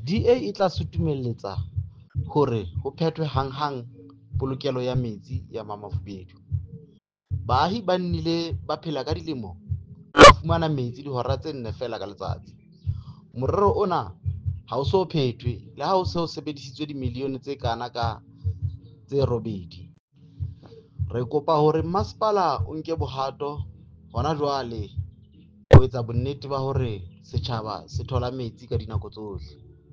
DA e tla sutumelletsa hore ho phethwe hanghang polokelo ya metsi ya Mamafubedu. Baahi ba nnile ba phela ka dilemo ba fumana metsi dihora tse nne feela ka letsatsi. Morero ona ha o so phethwe le ha ho se ho sebedisitswe dimilione tse kana ka tse 8. Re kopa hore masepala o nke bohato hona jwale ho etsa bonnete ba hore setjhaba se thola metsi ka dinako tsohle.